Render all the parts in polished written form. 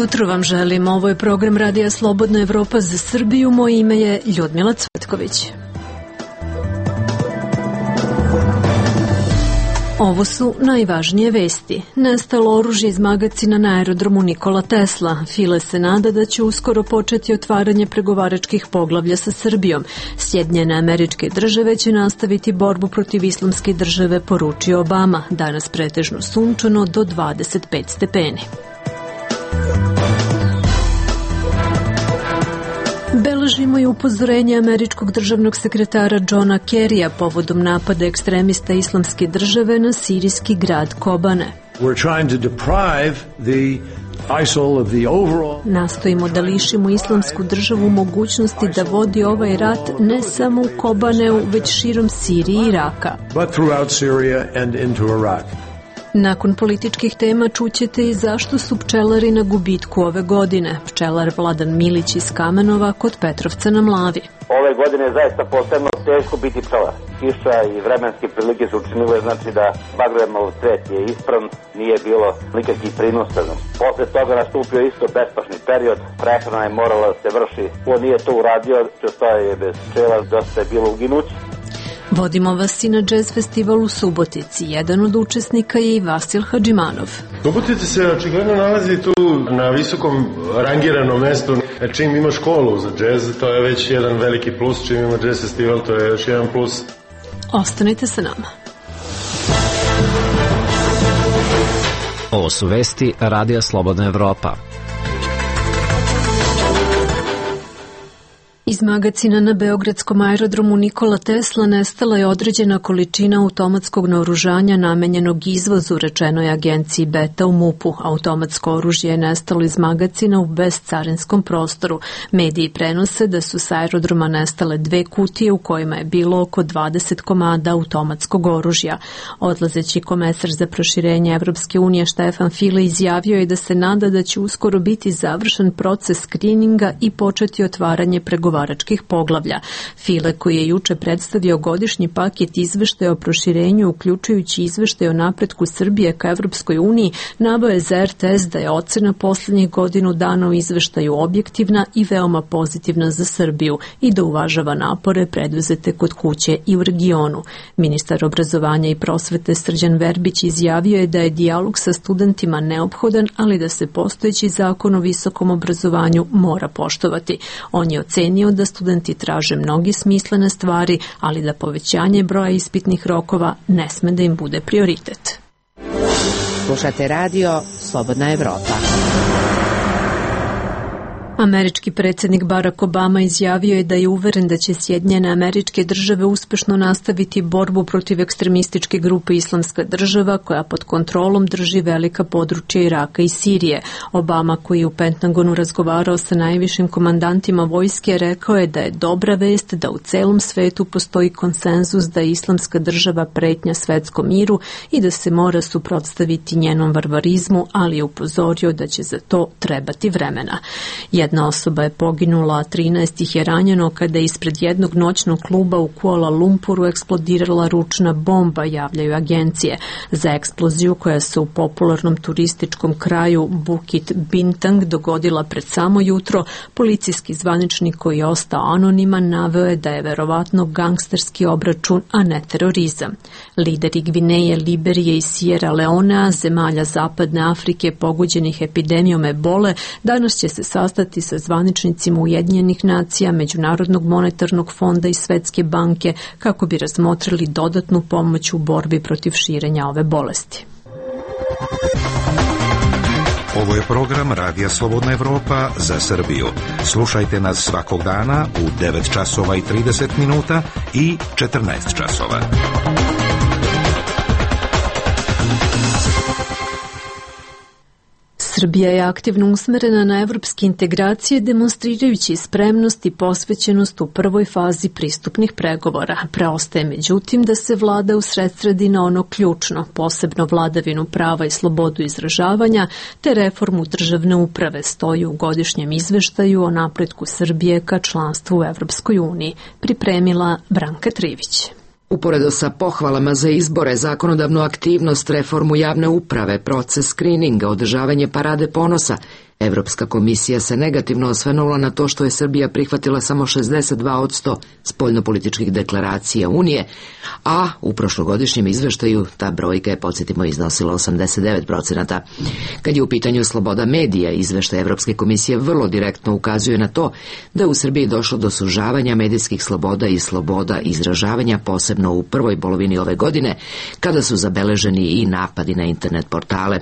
jutro vam želim. Ovo je program Radija Slobodna Evropa za Srbiju. Moje ime je Ljudmila Cvetković. Ovo su najvažnije vesti. Nestalo oružje iz magacina na aerodromu Nikola Tesla. File se nada da će uskoro početi otvaranje pregovaračkih poglavlja sa Srbijom. Sjedinjene Američke Države će nastaviti borbu protiv islamske države, poručio Obama. Danas pretežno sunčano do 25 stepeni. Beležimo i upozorenje američkog državnog sekretara Johna Kerrya povodom napada ekstremista islamske države na sirijski grad Kobane. Nastojimo da lišimo islamsku državu mogućnosti da vodi ovaj rat ne samo u Kobaneu, već širom Sirije i Iraka. Nakon političkih tema čućete i zašto su pčelari na gubitku ove godine. Pčelar Vladan Milić iz Kamenova kod Petrovca na Mlavi. Ove godine je zaista posebno teško biti pčelar. Kiša i vremenske prilike su učinile, znači da bagremov cvet je ispravan, nije bilo nikakvih prinosa. Posle toga nastupio isto bespašni period, prehrana je morala da se vrši. Ko nije to uradio, što je bez pčela, dosta je bilo uginući. Vodimo vas i na jazz festival u Subotici. Jedan od učesnika je i Vasil Hadžimanov. Subotica se očigledno nalazi tu na visokom rangiranom mestu. Čim ima školu za jazz, to je već jedan veliki plus. Čim ima jazz festival, to je još jedan plus. Ostanite sa nama. Ovo su vesti Radija Slobodna Evropa. Iz magacina na beogradskom aerodromu Nikola Tesla nestala je određena količina automatskog naoružanja namenjenog izvozu, rečeno je agenciji Beta u MUP-u. Automatsko oružje je nestalo iz magacina u bezcarinskom prostoru. Mediji prenose da su s aerodroma nestale 2 kutije u kojima je bilo oko 20 komada automatskog oružja. Odlazeći komesar za proširenje Evropske unije Štefan File izjavio je da se nada da će uskoro biti završen proces skrininga i početi otvaranje pregovaračkih poglavlja. File, koji je juče predstavio godišnji paket izveštaja o proširenju, uključujući izveštaj o napretku Srbije ka Evropskoj uniji, naveo je za RTS da je ocena poslednjih godinu dana u izveštaju objektivna i veoma pozitivna za Srbiju i da uvažava napore preduzete kod kuće i u regionu. Ministar obrazovanja i prosvete Srđan Verbić izjavio je da je dijalog sa studentima neophodan, ali da se postojeći zakon o visokom obrazovanju mora poštovati. On je ocenio da studenti traže mnogi smislene stvari, ali da povećanje broja ispitnih rokova ne sme da im bude prioritet. Slušate radio Slobodna Evropa. Američki predsjednik Barack Obama izjavio je da je uveren da će Sjedinjene Američke Države uspešno nastaviti borbu protiv ekstremističke grupe Islamska država koja pod kontrolom drži velika područja Iraka i Sirije. Obama, koji je u Pentagonu razgovarao sa najvišim komandantima vojske, rekao je da je dobra vest da u celom svetu postoji konsenzus da je Islamska država pretnja svetskom miru i da se mora suprotstaviti njenom varvarizmu, ali je upozorio da će za to trebati vremena. Jedna osoba je poginula, a 13 ih je ranjeno kada je ispred jednog noćnog kluba u Kuala Lumpuru eksplodirala ručna bomba, javljaju agencije. Za eksploziju koja se u popularnom turističkom kraju Bukit Bintang dogodila pred samo jutro, policijski zvaničnik koji je ostao anoniman naveo je da je verovatno gangsterski obračun, a ne terorizam. Lideri Gvineje, Liberije i Sierra Leonea, zemalja Zapadne Afrike pogođenih epidemijom ebole, danas će se sastati sa zvaničnicima Ujedinjenih nacija, Međunarodnog monetarnog fonda i Svetske banke kako bi razmotrili dodatnu pomoć u borbi protiv širenja ove bolesti. Ovo je program Radija Slobodna Evropa za Srbiju. Slušajte nas svakog dana u 9 časova i 30 minuta i 14 časova. Srbija je aktivno usmerena na evropske integracije, demonstrirajući spremnost i posvećenost u prvoj fazi pristupnih pregovora. Preostaje međutim da se vlada usredsredi na ono ključno, posebno vladavinu prava i slobodu izražavanja, te reformu državne uprave, stoji u godišnjem izveštaju o napretku Srbije ka članstvu u Evropskoj uniji. Pripremila Branka Trivić. Uporedo sa pohvalama za izbore, zakonodavnu aktivnost, reformu javne uprave, proces skrininga, održavanje parade ponosa, Evropska komisija se negativno osvrnula na to što je Srbija prihvatila samo 62% spoljnopolitičkih deklaracija Unije, a u prošlogodišnjem izveštaju ta brojka je, podsjetimo, iznosila 89%. Kad je u pitanju sloboda medija, izveštaj Evropske komisije vrlo direktno ukazuje na to da je u Srbiji došlo do sužavanja medijskih sloboda i sloboda izražavanja, posebno u prvoj polovini ove godine, kada su zabeleženi i napadi na internet portale.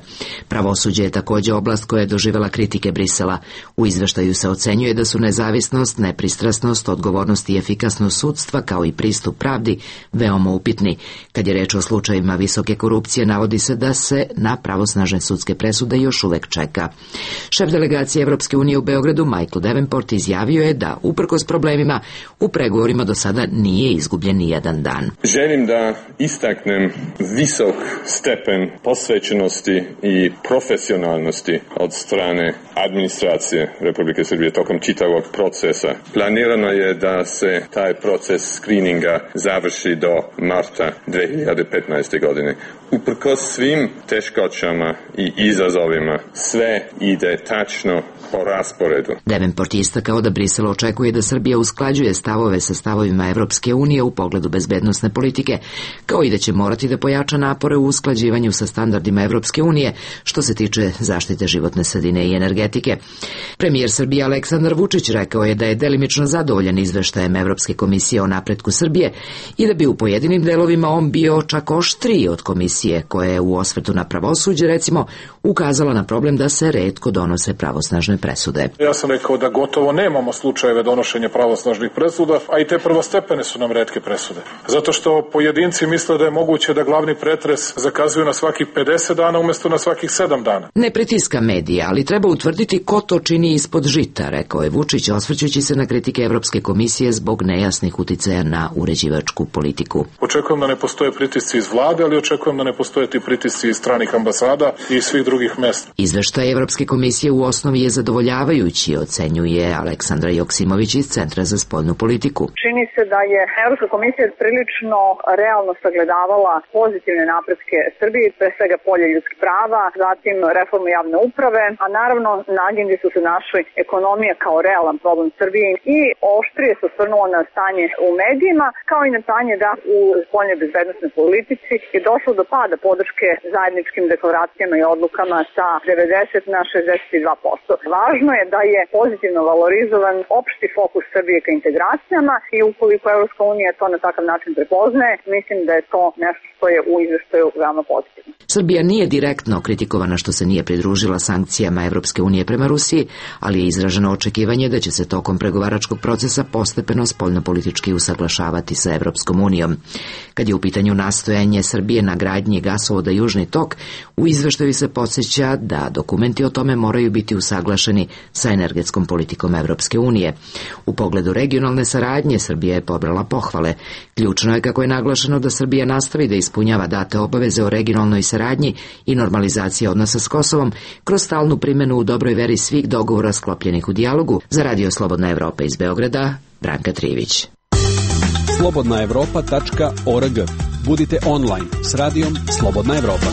Pravosuđe je također oblast koja je doživjela kritike Brisela. U izveštaju se ocenjuje da su nezavisnost, nepristrasnost, odgovornost i efikasnost sudstva, kao i pristup pravdi, veoma upitni. Kad je reč o slučajevima visoke korupcije, navodi se da se na pravosnažne sudske presude još uvek čeka. Šef delegacije Evropske unije u Beogradu, Michael Davenport, izjavio je da, uprkos problemima, u pregovorima do sada nije izgubljen ni jedan dan. Želim da istaknem visok stepen posvećenosti i profesionalnosti od strane administracije Republike Srbije tokom čitavog procesa. Planirano je da se taj proces skrininga završi do marta 2015. godine. Uprkos svim teškoćama i izazovima, sve ide tačno po rasporedu. Davenport je istakao da Brisel očekuje da Srbija usklađuje stavove sa stavovima Evropske unije u pogledu bezbednosne politike, kao i da će morati da pojača napore u usklađivanju sa standardima Evropske unije što se tiče zaštite životne sredine i energetike. Premijer Srbije Aleksandar Vučić rekao je da je delimično zadovoljan izveštajem Evropske komisije o napretku Srbije i da bi u pojedinim delovima on bio čak oštriji od komisije, koja je u osvrtu na pravosuđe, recimo, ukazala na problem da se retko donose pravosnažne presude. Ja sam rekao da gotovo nemamo slučajeve donošenja pravosnažnih presuda, a i te prvostepene su nam retke presude. Zato što pojedinci misle da je moguće da glavni pretres zakazuju na svakih 50 dana umjesto na svakih 7 dana. Ne pritiska medija, ali treba utvrditi ko to čini ispod žita, rekao je Vučić, osvrćući se na kritike Evropske komisije zbog nejasnih uticaja na uređivačku politiku. Očekujem da ne postoje pritisci iz vlade, ali očekujem da ne postoje ti pritisci iz stranih ambasada i svih drugih mesta. Izveštaj Evropske komisije u osnovi je zadovoljavajući, ocenjuje Aleksandra Joksimović iz Centra za spoljnu politiku. Čini se da je Evropska komisija prilično realno sagledavala pozitivne napretke Srbije, pre svega polje ljudskih prava, zatim reformu javne uprave, a naravno na agendi su se našli ekonomija kao realan problem Srbije i oštrije se osvrnulo na stanje u medijima, kao i na stanje da u spoljnoj bezbednosnoj politici je došlo do pada podrške zajedničkim deklaracijama i odlukama sa 90 na 62%. Važno je da je pozitivno valorizovan opšti fokus Srbije ka integracijama i ukoliko Evropska unija to na takav način prepoznaje, mislim da je to nešto što je u izveštaju veoma pozitivno. Srbija nije direktno kritikovana što se nije pridružila sankcijama Evropske unije prema Rusiji, ali je izraženo očekivanje da će se tokom pregovaračkog procesa postepeno spoljnopolitički usaglašavati sa Evropskom unijom. Kad je u pitanju nastojanje Srbije na gradnji gasovoda Južni tok, u izveštaju se podsjeća da dokumenti o tome moraju biti usaglašeni sa energetskom politikom Evropske unije. U pogledu regionalne saradnje Srbija je pobrala pohvale. Ključno je, kako je naglašeno, da Srbija nastavi da ispunjava date obaveze o regionalnoj saradnji i normalizaciji odnosa s Kosovom kroz stalnu primjenu u dobroj veri svih dogovora sklopljenih u dijalogu. Za Radio Slobodna Evropa iz Beograda, Branka Trivić. slobodnaevropa.org. Budite online s radijom Slobodna Evropa.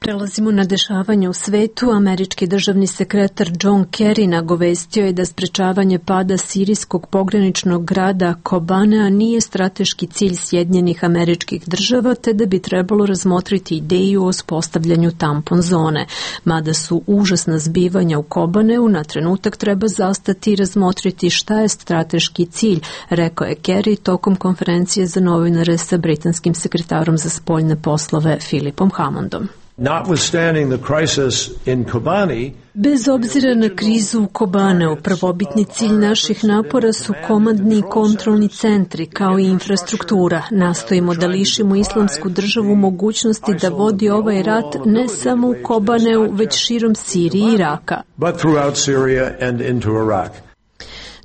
Prelazimo na dešavanje u svetu. Američki državni sekretar John Kerry nagovestio je da sprečavanje pada sirijskog pograničnog grada Kobanea nije strateški cilj Sjedinjenih Američkih Država, te da bi trebalo razmotriti ideju o uspostavljanju tampon zone. Mada su užasna zbivanja u Kobaneu, na trenutak treba zastati i razmotriti šta je strateški cilj, rekao je Kerry tokom konferencije za novinare sa britanskim sekretarom za spoljne poslove Philipom Hammondom. Bez obzira na krizu u Kobaneu, prvobitni cilj naših napora su komandni i kontrolni centri, kao i infrastruktura. Nastojimo da lišimo Islamsku državu mogućnosti da vodi ovaj rat ne samo u Kobaneu, već širom Sirije i Iraka.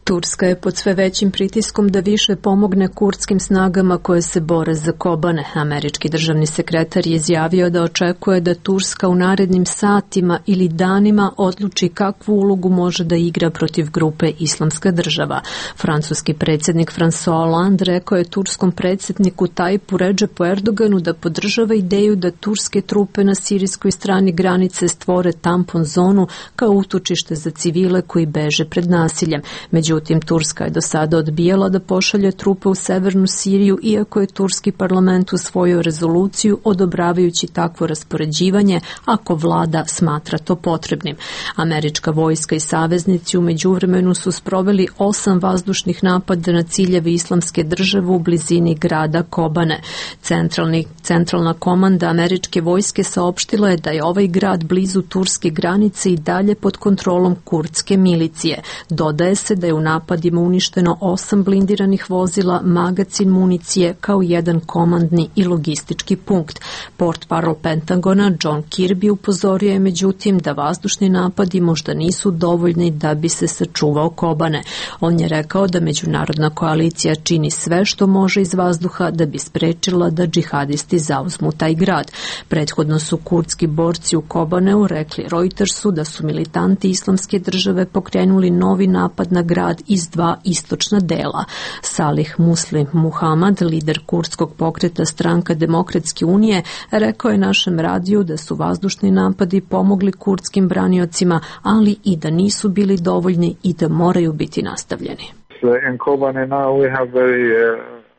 Turska je pod sve većim pritiskom da više pomogne kurdskim snagama koje se bore za Kobane. Američki državni sekretar je izjavio da očekuje da Turska u narednim satima ili danima odluči kakvu ulogu može da igra protiv grupe Islamska država. Francuski predsjednik François Hollande rekao je turskom predsjedniku Tajpu Redžepu Erdoganu da podržava ideju da turske trupe na sirijskoj strani granice stvore tampon zonu kao utočište za civile koji beže pred nasiljem. Međutim, Turska je do sada odbijala da pošalje trupe u severnu Siriju, iako je turski parlament usvojio rezoluciju odobravajući takvo raspoređivanje ako vlada smatra to potrebnim. Američka vojska i saveznici u međuvremenu su sproveli 8 vazdušnih napada na ciljeve Islamske države u blizini grada Kobane. Centralna komanda američke vojske saopštila je da je ovaj grad blizu turske granice i dalje pod kontrolom kurdske milicije. Dodaje se da je u napadima uništeno 8 blindiranih vozila, magacin municije kao jedan komandni i logistički punkt. Portparol Pentagona John Kirby upozorio je međutim da vazdušni napadi možda nisu dovoljni da bi se sačuvao Kobane. On je rekao da međunarodna koalicija čini sve što može iz vazduha da bi sprečila da džihadisti zauzmu taj grad. Prethodno su kurdski borci u Kobaneu rekli Reutersu da su militanti Islamske države pokrenuli novi napad na grad iz 2 istočna dela. Salih Muslim Muhammad, lider kurdskog pokreta Stranka Demokratske unije, rekao je našem radiju da su vazdušni napadi pomogli kurdskim braniocima, ali i da nisu bili dovoljni i da moraju biti nastavljeni.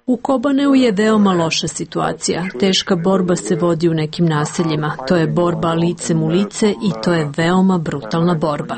U Kobaneu je veoma loša situacija. Teška borba se vodi u nekim naseljima. To je borba licem u lice i to je veoma brutalna borba.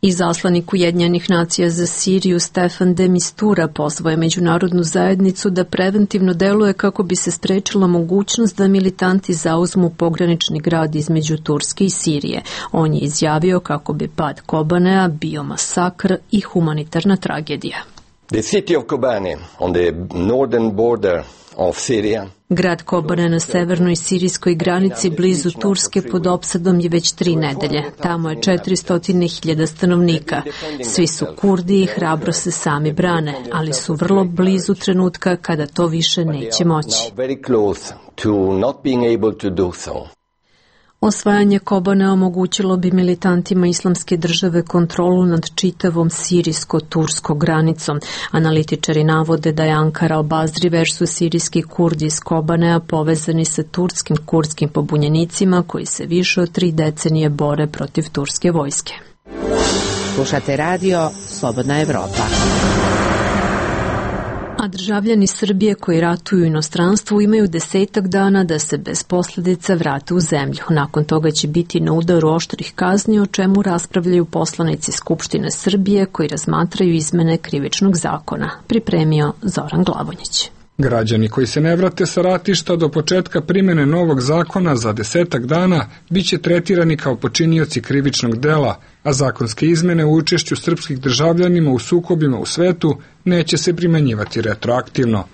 Izaslanik Ujedinjenih nacija za Siriju Stefan de Mistura pozvao je međunarodnu zajednicu da preventivno deluje kako bi se sprečila mogućnost da militanti zauzmu pogranični grad između Turske i Sirije. On je izjavio kako bi pad Kobanea bio masakr i humanitarna tragedija. The city of Kobane on the northern border of Syria. Grad Kobane na severnoj sirijskoj granici blizu Turske pod opsadom je već 3 nedelje. Tamo je 400.000 stanovnika. Svi su Kurdi i hrabro se sami brane, ali su vrlo blizu trenutka kada to više neće moći. Osvajanje Kobane omogućilo bi militantima Islamske države kontrolu nad čitavom sirijsko-turskom granicom. Analitičari navode da je Ankara al-Bazri versus sirijski Kurdi iz Kobanea povezani sa turskim kurdskim pobunjenicima koji se više od 3 decenije bore protiv turske vojske. Slušate radio Slobodna Evropa. A državljani Srbije koji ratuju u inostranstvu imaju 10 dana da se bez posljedica vrate u zemlju. Nakon toga će biti na udaru oštrih kazni, o čemu raspravljaju poslanici Skupštine Srbije koji razmatraju izmene Krivičnog zakona. Pripremio Zoran Glavonjić. Građani koji se ne vrate sa ratišta do početka primjene novog zakona za 10 dana biće tretirani kao počinioci krivičnog dela, a zakonske izmene u učešću srpskih državljanima u sukobima u svetu neće se primenjivati retroaktivno.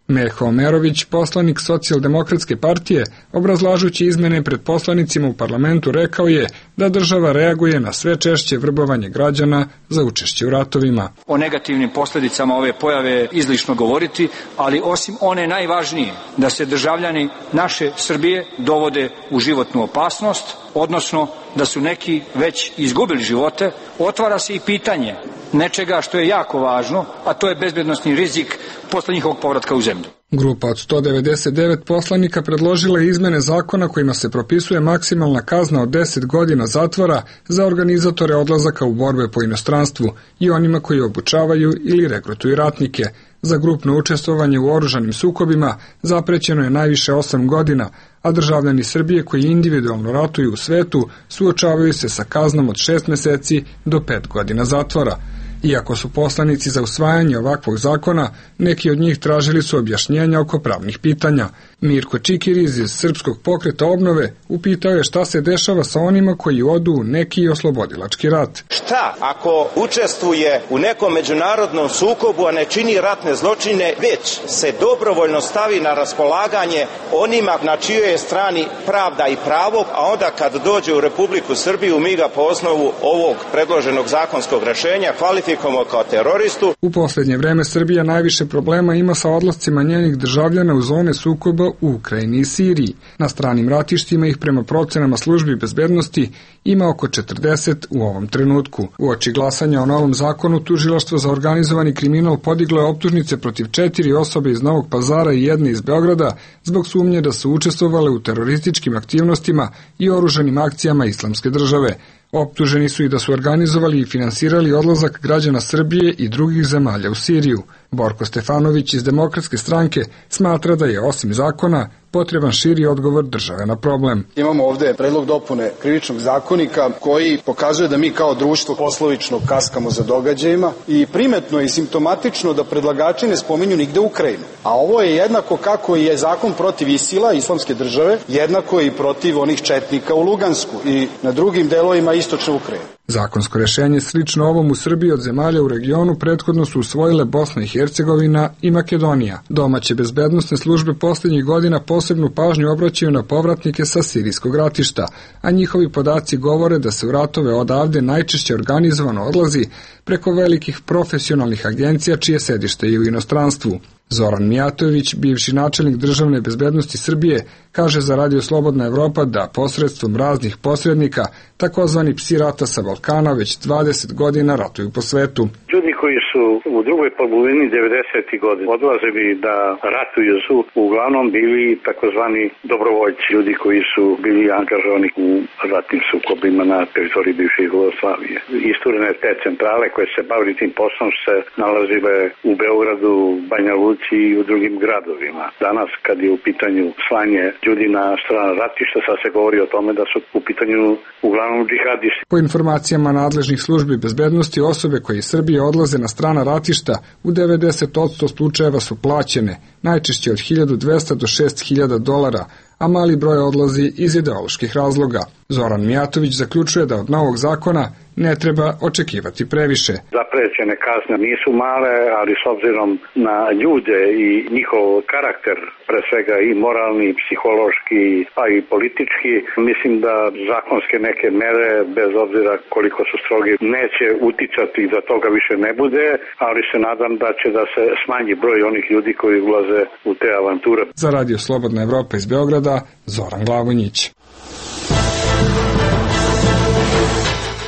Meho Omerović, poslanik Socijaldemokratske partije, obrazlažući izmene pred poslanicima u parlamentu, rekao je da država reaguje na sve češće vrbovanje građana za učešće u ratovima. O negativnim posljedicama ove pojave je izlišno govoriti, ali osim one najvažnije, da se državljani naše Srbije dovode u životnu opasnost, odnosno da su neki već izgubili živote, otvara se i pitanje nečega što je jako važno, a to je bezbednosni rizik posle njihovog povratka u zemlju. Grupa od 199 poslanika predložila je izmene zakona kojima se propisuje maksimalna kazna od 10 godina zatvora za organizatore odlazaka u borbe po inostranstvu i onima koji obučavaju ili regrutuju ratnike. Za grupno učestvovanje u oružanim sukobima zaprećeno je najviše 8 godina, a državljani Srbije koji individualno ratuju u svetu suočavaju se sa kaznom od 6 meseci do 5 godina zatvora. Iako su poslanici za usvajanje ovakvog zakona, neki od njih tražili su objašnjenja oko pravnih pitanja. Mirko Čikiriz iz Srpskog pokreta obnove upitao je šta se dešava sa onima koji odu u neki oslobodilački rat. Šta ako učestvuje u nekom međunarodnom sukobu, a ne čini ratne zločine, već se dobrovoljno stavi na raspolaganje onima na čijoj je strani pravda i pravo, a onda kad dođe u Republiku Srbiju mi ga po osnovu ovog predloženog zakonskog rešenja kvalifikujemo kao teroristu. U posljednje vreme Srbija najviše problema ima sa odlascima njenih državljana u zone sukoba u Ukrajini i Siriji. Na stranim ratištima ih prema procenama službi bezbednosti ima oko 40 u ovom trenutku. Uoči glasanja o novom zakonu, Tužilaštvo za organizovani kriminal podiglo je optužnice protiv 4 osobe iz Novog Pazara i jedne iz Beograda zbog sumnje da su učestvovale u terorističkim aktivnostima i oružanim akcijama Islamske države. Optuženi su i da su organizovali i finansirali odlazak građana Srbije i drugih zemalja u Siriju. Borko Stefanović iz Demokratske stranke smatra da je osim zakona potreban širi odgovor države na problem. Imamo ovde predlog dopune krivičnog zakonika koji pokazuje da mi kao društvo poslovično kaskamo za događajima i primetno i simptomatično da predlagači ne spominju nigde Ukrajinu. A ovo je jednako kako je zakon protiv ISIL-a, Islamske države, jednako i protiv onih četnika u Lugansku i na drugim delovima istočne Ukrajine. Zakonsko rešenje slično ovom u Srbiji od zemalja u regionu prethodno su usvojile Bosna i Hercegovina i Makedonija. Domaće bezbednosne službe posljednjih godina posebnu pažnju obraćaju na povratnike sa sirijskog ratišta, a njihovi podaci govore da se u ratove odavde najčešće organizovano odlazi preko velikih profesionalnih agencija čije sedište je u inostranstvu. Zoran Mijatović, bivši načelnik državne bezbednosti Srbije, kaže za Radio Slobodna Evropa da posredstvom raznih posrednika, takozvani psi rata sa Balkana, već 20 godina ratuju po svetu. Ljudi koji su u drugoj polovini 90. godina odlazili da ratuju su uglavnom bili takozvani dobrovoljci, ljudi koji su bili angažovani u ratnim sukobima na teritoriji bivše Jugoslavije. Isturene te centrale koje se bavili tim poslom se nalazile u Beogradu, Banja Luci i u drugim gradovima. Danas kad je u pitanju slanje ljudi na strana ratišta, sad se govori o tome da su u pitanju uglavnom džihadisti. Po informacijama nadležnih službi bezbednosti, osobe koje iz Srbije odlaze na strana ratišta u 90% slučajeva su plaćene, najčešće od 1200 do 6000 dolara, a mali broj odlazi iz ideoloških razloga. Zoran Mijatović zaključuje da od novog zakona ne treba očekivati previše. Zaprećene kazne nisu male, ali s obzirom na ljude i njihov karakter, pre svega i moralni, i psihološki, a i politički, mislim da zakonske neke mere, bez obzira koliko su strogi, neće uticati da toga više ne bude, ali se nadam da će da se smanji broj onih ljudi koji ulaze u te avanture. Za Radio Slobodna Evropa iz Beograda, Zoran Glavonjić.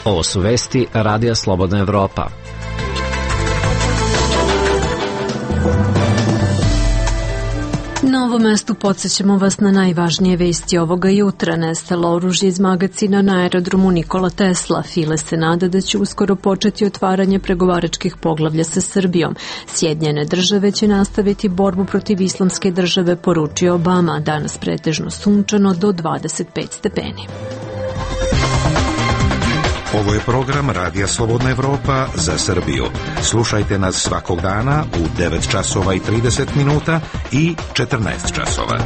Ovo su vesti Radija Slobodna Evropa. Na ovom mestu podsjećamo vas na najvažnije vesti ovoga jutra. Nestalo oružje iz magacina na aerodromu Nikola Tesla. File se nada da će uskoro početi otvaranje pregovaračkih poglavlja sa Srbijom. Sjedinjene države će nastaviti borbu protiv Islamske države, poručio Obama. Danas pretežno sunčano do 25 stepeni. Ovo je program Radija Slobodna Evropa za Srbiju. Slušajte nas svakog dana u 9 časova i 30 minuta i 14 časova.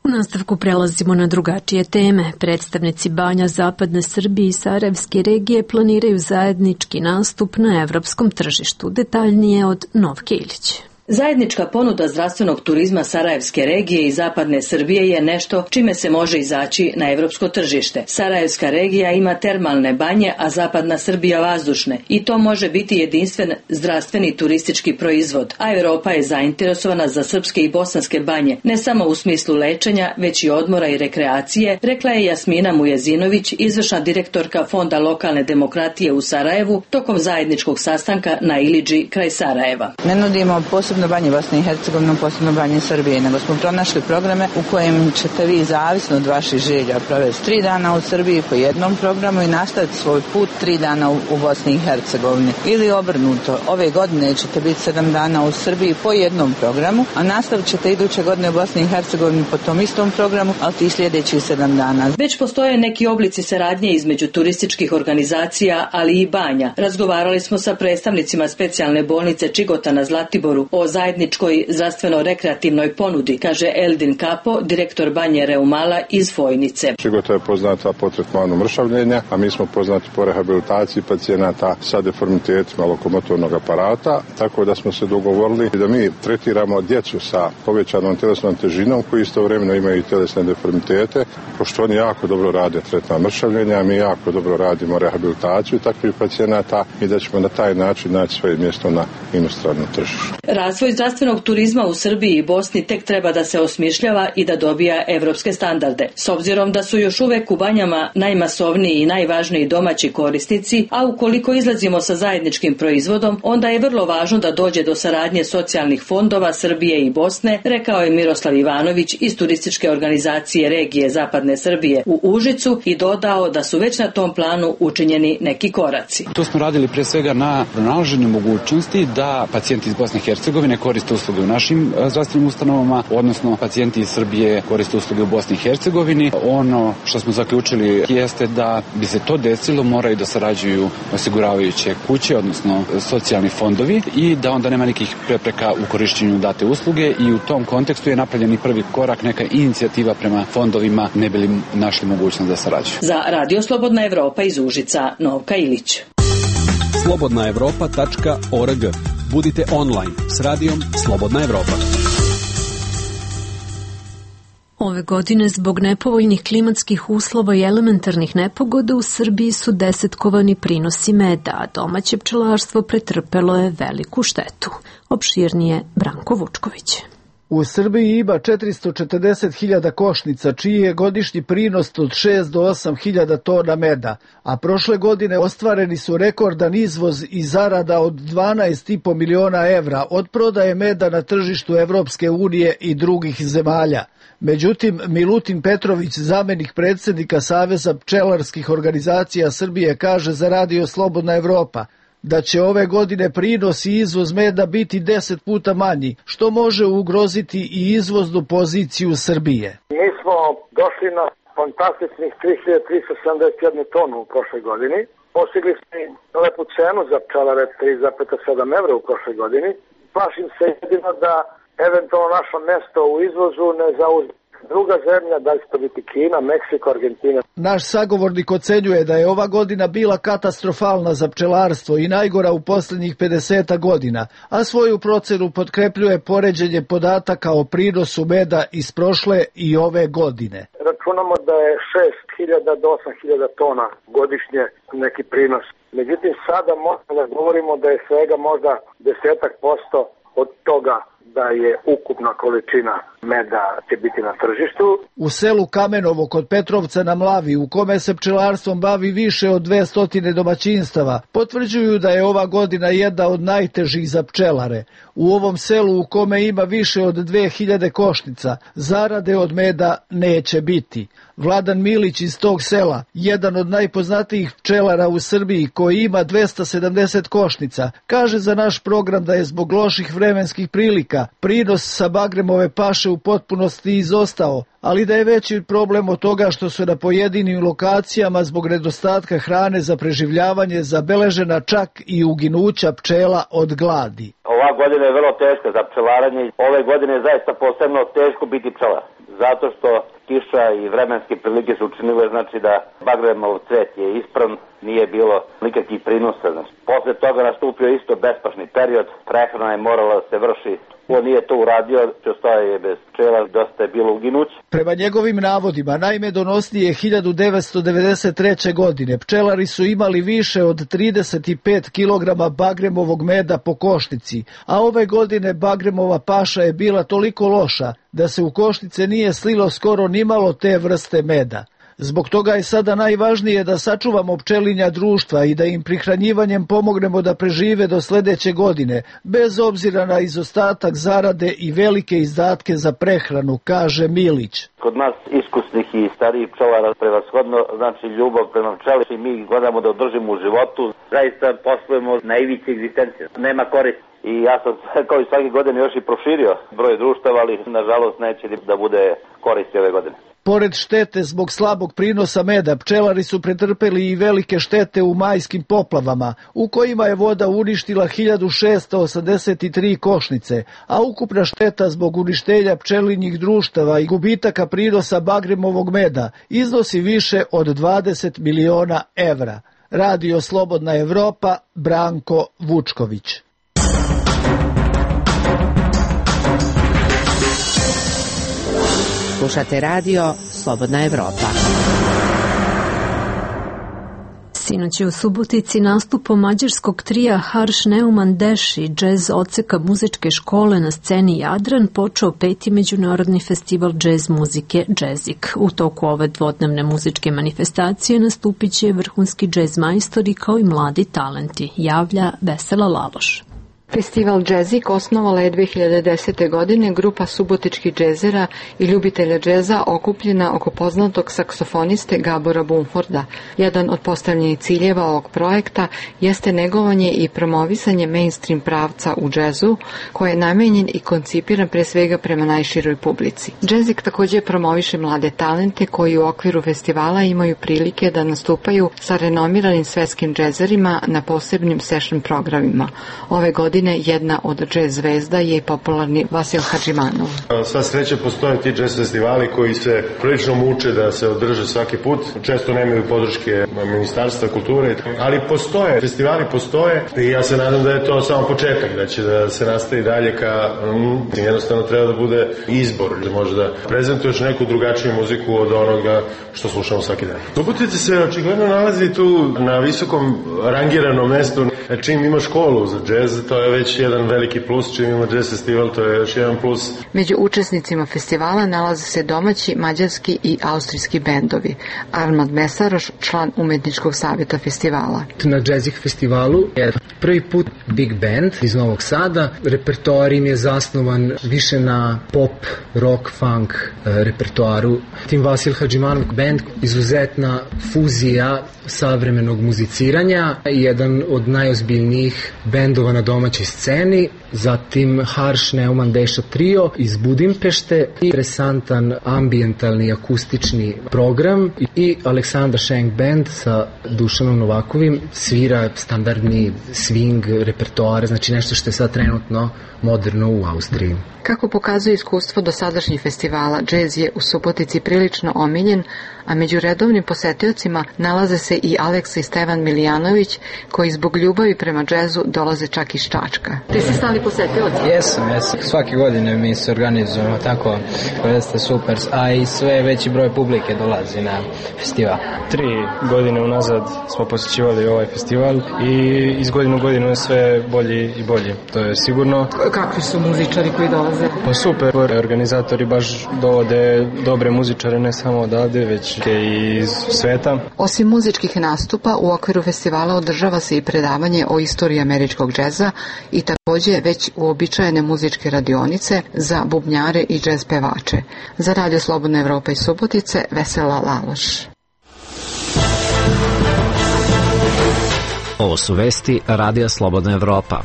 U nastavku prelazimo na drugačije teme. Predstavnici Banja, Zapadne Srbije i Sarajevske regije planiraju zajednički nastup na evropskom tržištu. Detaljnije od Novke Ilić. Zajednička ponuda zdravstvenog turizma Sarajevske regije i Zapadne Srbije je nešto čime se može izaći na evropsko tržište. Sarajevska regija ima termalne banje, a Zapadna Srbija vazdušne i to može biti jedinstven zdravstveni turistički proizvod, a Evropa je zainteresovana za srpske i bosanske banje, ne samo u smislu lečenja, već i odmora i rekreacije, rekla je Jasmina Mujezinović, izvršna direktorka Fonda lokalne demokratije u Sarajevu, tokom zajedničkog sastanka na Ilidži kraj Sarajeva. Ne nudimo posebno posebno banje Bosne i Hercegovine, posebno banje Srbije, nego smo pronašli programe u kojem ćete vi zavisno od vaših želja provesti 3 dana u Srbiji po jednom programu i nastaviti svoj put 3 dana u Bosni i Hercegovini. Ili obrnuto, ove godine ćete biti 7 dana u Srbiji po jednom programu, a nastavit ćete iduće godine u Bosni i Hercegovini po tom istom programu, ali ti sljedećih 7 dana. Već postoje neki oblici saradnje između turističkih organizacija, ali i banja. Razgovarali smo sa predstavnicima specijalne bolnice Čigota na Zlatiboru o zajedničkoj zdravstveno-rekreativnoj ponudi, kaže Eldin Kapo, direktor banje Reumala iz Fojnice. Čigota je poznata po tretmanu mršavljenja, a mi smo poznati po rehabilitaciji pacijenata sa deformitetima lokomotornog aparata, tako da smo se dogovorili da mi tretiramo djecu sa povećanom tjelesnom težinom koji istovremeno imaju i tjelesne deformitete, pošto oni jako dobro rade tretman mršavljenja, mi jako dobro radimo rehabilitaciju takvih pacijenata i da ćemo na taj način naći svoje mjesto na inostranom tržištu. Razvoj zdravstvenog turizma u Srbiji i Bosni tek treba da se osmišljava i da dobija evropske standarde. S obzirom da su još uvek u banjama najmasovniji i najvažniji domaći korisnici, a ukoliko izlazimo sa zajedničkim proizvodom, onda je vrlo važno da dođe do saradnje socijalnih fondova Srbije i Bosne, rekao je Miroslav Ivanović iz turističke organizacije regije Zapadne Srbije u Užicu i dodao da su već na tom planu učinjeni neki koraci. To smo radili pre svega na pronalaženju mogućnosti da pacijenti iz Bosne i Hercegovine koriste usluge u našim zdravstvenim ustanovama, odnosno pacijenti iz Srbije koriste usluge u Bosni i Hercegovini. Ono što smo zaključili jeste da bi se to desilo, moraju da sarađuju osiguravajuće kuće, odnosno socijalni fondovi i da onda nema nekih prepreka u korišćenju date usluge i u tom kontekstu je napravljen i prvi korak, neka inicijativa prema fondovima, ne bi li našli mogućnost da sarađuju. Za Radio Slobodna Evropa iz Užica, Novka Ilić. slobodnaevropa.org. Budite online s radijom Slobodna Evropa. Ove godine zbog nepovoljnih klimatskih uslova i elementarnih nepogoda u Srbiji su desetkovani prinosi meda, a domaće pčelarstvo pretrpelo je veliku štetu. Opširnije Branko Vučković. U Srbiji ima 440.000 košnica, čiji je godišnji prinos od 6 do 8.000 tona meda, a prošle godine ostvareni su rekordan izvoz i zarada od 12,5 miliona evra od prodaje meda na tržištu Evropske unije i drugih zemalja. Međutim, Milutin Petrović, zamenik predsjednika Saveza pčelarskih organizacija Srbije, kaže za Radio Slobodna Evropa da će ove godine prinos i izvoz meda biti 10 puta manji, što može ugroziti i izvoznu poziciju Srbije. Mi smo došli na fantastičnih 3.371 tonu u prošloj godini. Postigli smo lepu cenu za pčelare 3,7 evra u prošloj godini. Plašim se jedino da eventualno naše mesto u izvozu ne zauzme druga zemlja, da li će to biti Kina, Meksiko, Argentina. Naš sagovornik ocenjuje da je ova godina bila katastrofalna za pčelarstvo i najgora u posljednjih 50 godina, a svoju procenu potkrepljuje poređenje podataka o prinosu meda iz prošle i ove godine. Računamo da je 6.000 do 8.000 tona godišnje neki prinos. Međutim, sada možemo da govorimo da je svega možda 10% od toga da je ukupna količina meda će biti na tržištu. U selu Kamenovo kod Petrovca na Mlavi, u kome se pčelarstvom bavi više od 200 domaćinstava, potvrđuju da je ova godina jedna od najtežih za pčelare. U ovom selu u kome ima više od 2000 košnica, zarade od meda neće biti. Vladan Milić iz tog sela, jedan od najpoznatijih pčelara u Srbiji koji ima 270 košnica, kaže za naš program da je zbog loših vremenskih prilika prinos sa Bagremove paše u potpunosti izostao, ali da je veći problem od toga što su na pojedinim lokacijama zbog nedostatka hrane za preživljavanje zabeležena čak i uginuća pčela od gladi. Ova godina je vrlo teška za pčelaranje. Ove godine je zaista posebno teško biti pčelar, zato što kiša i vremenske prilike su učinile, znači da Bagremov cvet je ispravan, nije bilo nikakvih prinosa. Znači, posle toga nastupio isto bespašni period, prehrana je morala da se vrši. On nije to uradio, ostao je bez pčela, dosta je bilo uginuće. Prema njegovim navodima, najmedonosnije 1993. godine pčelari su imali više od 35 kg Bagremovog meda po košnici, a ove godine Bagremova paša je bila toliko loša da se u košnice nije slilo skoro nimalo te vrste meda. Zbog toga je sada najvažnije da sačuvamo pčelinja društva i da im prihranjivanjem pomognemo da prežive do sledeće godine, bez obzira na izostatak zarade i velike izdatke za prehranu, kaže Milić. Kod nas iskusnih i starijih pčelara prevashodno znači ljubav prema pčeli i mi gledamo da održimo u životu. Zaista poslujemo na ivici egzistencije. Nema korist. I ja sam kao i svake godine još i proširio broj društava, ali nažalost neće da bude koristi ove godine. Pored štete zbog slabog prinosa meda, pčelari su pretrpeli i velike štete u majskim poplavama, u kojima je voda uništila 1683 košnice, a ukupna šteta zbog uništenja pčelinjih društava i gubitaka prinosa bagremovog meda iznosi više od 20 miliona evra. Radio Slobodna Evropa, Branko Vučković. Slušate radio Slobodna Evropa. Sinoć je u Subotici nastupom mađarskog trija Harš Neumann Deš i džez odseka muzičke škole na sceni Jadran počeo 5. međunarodni festival džez muzike Džezik. U toku ove dvodnevne muzičke manifestacije nastupit će vrhunski džez majstori kao i mladi talenti, javlja Vesela Laloš. Festival Džezik osnovala je 2010. godine grupa subotičkih džezera i ljubitelja džeza okupljena oko poznatog saksofoniste Gabora Bumforda. Jedan od postavljenih ciljeva ovog projekta jeste negovanje i promovisanje mainstream pravca u džezu, koji je namenjen i koncipiran pre svega prema najširoj publici. Džezik također promoviše mlade talente koji u okviru festivala imaju prilike da nastupaju sa renomiranim svetskim džezerima na posebnim session programima. Ove godine jedna od džez zvezda je popularni Vasil Hadžimanov. Sva sreća postoje ti džez festivali koji se prilično muče da se održe svaki put. Često nemaju podrške Ministarstva kulture, ali postoje, festivali postoje i ja se nadam da je to samo početak, da će da se nastavi dalje ka jednostavno treba da bude izbor, da može da prezentuješ neku drugačiju muziku od onoga što slušamo svaki dan. Subotica se očigledno nalazi tu na visokom rangiranom mestu. Čim ima školu za džez, to je već jedan veliki plus, čim ima džez festival, to je još jedan plus. Među učesnicima festivala nalaze se domaći, mađarski i austrijski bendovi. Armand Mesaroš, član umetničkog savjeta festivala. Na Džezik festivalu je prvi put big band iz Novog Sada. Repertoar im je zasnovan više na pop, rock, funk repertoaru. Tim Vasil Hadžimanov band, izuzetna fuzija savremenog muziciranja, jedan od najozbiljnijih bendova na domaćoj sceni, zatim Harš Neumann Deša trio iz Budimpešte, interesantan ambijentalni akustični program i Aleksandar Schenk band sa Dušanom Novakovim svira standardni swing repertoar, znači nešto što je sad trenutno moderno u Austriji. Kako pokazuje iskustvo dosadašnjih festivala, džez je u Subotici prilično omiljen, a među redovnim posetiocima nalaze se i Aleksa i Stevan Milijanović, koji zbog ljubavi prema džezu dolaze čak iz Čačka. Ti si stali posetioc? Jesam. Svake godine mi se organizujemo tako, jeste super, a i sve veći broj publike dolazi na festival. 3 godine unazad smo posjećivali ovaj festival i iz godine u godinu je sve bolji i bolji, to je sigurno. Kakvi su muzičari koji dolaze? Pa super, organizatori baš dovode dobre muzičare ne samo odavde, već i iz sveta. Osim muzičkih nastupa, u okviru festivala održava se i predavanje o istoriji američkog džeza i također već uobičajene muzičke radionice za bubnjare i džez pevače. Za Radio Slobodna Evropa iz Subotice, Vesela Laloš. Ovo su vesti Radija Slobodna Evropa.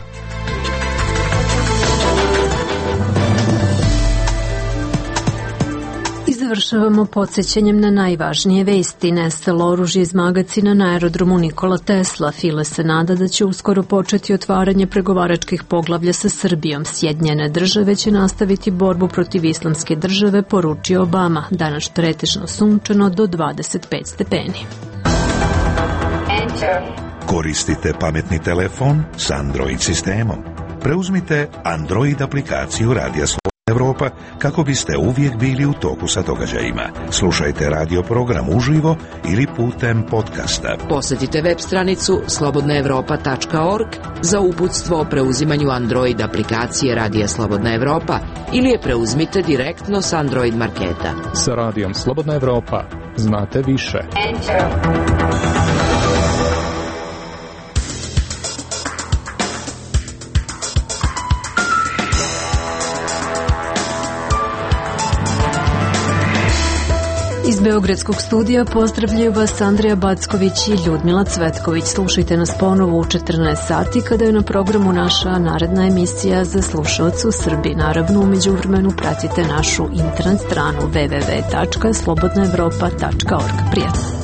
Završavamo podsjećanjem na najvažnije vesti. Nestalo oružje iz magacina na aerodromu Nikola Tesla. File se nada da će uskoro početi otvaranje pregovaračkih poglavlja sa Srbijom. Sjedinjene države će nastaviti borbu protiv islamske države, poručio Obama. Danas pretežno sunčano do 25 stepeni. Koristite pametni telefon s Android sistemom. Preuzmite Android aplikaciju Radija Slobodna Evropa kako biste uvijek bili u toku sa događajima. Slušajte radio program uživo ili putem podcasta. Posjetite web stranicu slobodnaevropa.org za uputstvo o preuzimanju Android aplikacije Radija Slobodna Evropa ili je preuzmite direktno s Android marketa. Sa Radijom Slobodna Evropa znate više. Iz Beogradskog studija pozdravljaju vas Andrija Backović i Ljudmila Cvetković. Slušajte nas ponovo u 14 sati kada je na programu naša naredna emisija za slušaoce u Srbiji. Naravno, u međuvremenu pratite našu internet stranu www.slobodnaevropa.org. Prijatno!